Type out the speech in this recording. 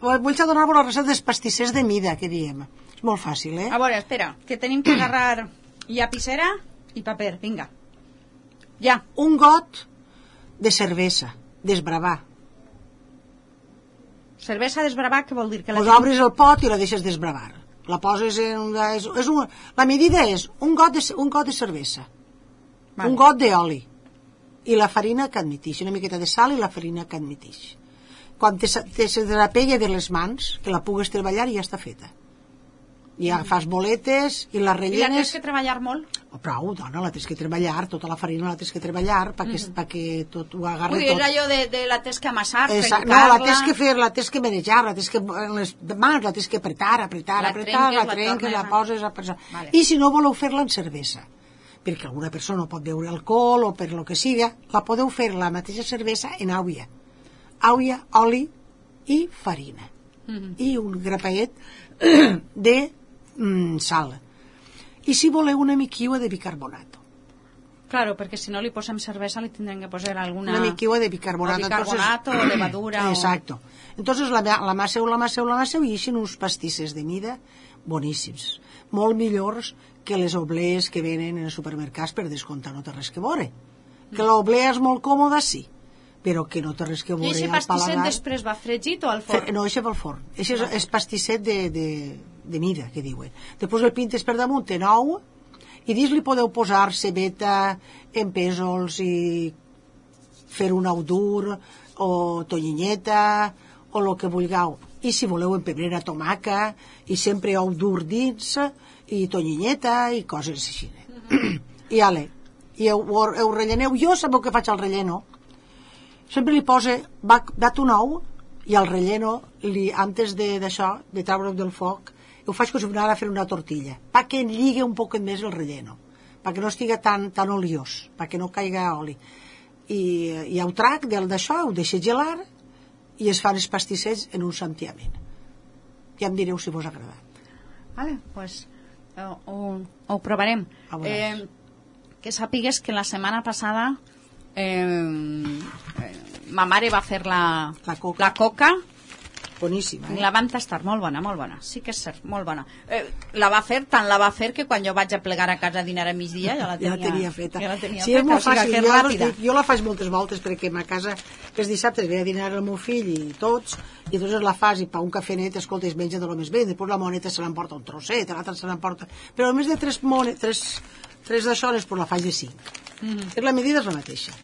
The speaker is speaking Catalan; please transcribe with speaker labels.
Speaker 1: Vull donar-vos la recepta dels pastissers de mida, que diem. És molt fàcil,
Speaker 2: A veure, espera, que tenim que agarrar llapissera i paper, vinga. Ja.
Speaker 1: Un got de cervesa, desbravar.
Speaker 2: Cervesa desbravar, què vol dir? Que
Speaker 1: Pues obres el pot i la deixes desbravar. La poses en la medida és un got de cervesa, un got d'oli i la farina que admitix, una miqueta de sal i la farina que admitix. Quan te desapella de les mans, que la pugues treballar i ja està feta. Ja fas boletes i les rellenes...
Speaker 2: I la tens que treballar molt?
Speaker 1: Prou, dona, la tens que treballar, tota la farina la tens que treballar perquè tot ho agarri tot.
Speaker 2: Vull dir, és allò de la tens que amassar,
Speaker 1: trencar-la... No, la tens que fer, la tens que manejar, la tens que... les mans la tens que apretar, la trenques, la poses... Vale. I si no voleu fer-la en cervesa, perquè alguna persona no pot beure alcohol o per lo que siga, la podeu fer la mateixa cervesa en àuia, oli i farina. I un grapaet de sal. I si voleu una miquiua de bicarbonato.
Speaker 2: Claro, perquè si no li posem cervesa li tindrem que posar alguna...
Speaker 1: Una miquiua de bicarbonato.
Speaker 2: O bicarbonato, o levadura...
Speaker 1: Exacto. Entonces la amasseu i eixen uns pastisses de mida boníssims. Molt millors que les oblees que venen en els supermercats, per descomptar, no té res que veure. Que l'oblea és molt còmoda, sí, però que no té res que veure.
Speaker 2: I aquest pastisset després va fregit o al forn?
Speaker 1: No, això va al forn. Això és pastisset de mida, que diuen. Després el pintes per damunt en ou i dins li podeu posar cebeta en pèsols i fer un ou dur o tonyineta o el que vulgueu. I si voleu en pebrera, tomaca i sempre ou dur dins i tonyineta i coses així. I ale, i ho relleneu. Jo sabeu que faig el relleno? Sempre li posa, dat un ou i el relleno, antes d'això, de treure'l del foc, ho faig com si anara a fer una tortilla, perquè lligui un poc més el relleno, perquè no estigui tan oliós, perquè no caiga oli. I ho trac d'això, ho deixo gelar i es fan els pastissets en un santiament. Ja em direu si vos ha agradat.
Speaker 2: Vale, pues ho provarem. Que sàpigues que la setmana passada ma mare va fer la coca.
Speaker 1: Boníssima,
Speaker 2: la vam tastar, molt bona, sí que és cert, molt bona. La va fer que quan jo vaig a plegar a casa a dinar a migdia ja la tenia
Speaker 1: feta.
Speaker 2: Sí,
Speaker 1: és molt fàcil, jo la faig moltes voltes perquè a casa els dissabtes ve a dinar el meu fill i tots, i doncs la fas i pa un cafenet, escolta, es menja de lo més bé, després la moneta se l'emporta un trosset, l'altra se l'emporta, però a més de tres d'això, després la faig de 5. La medida és la mateixa.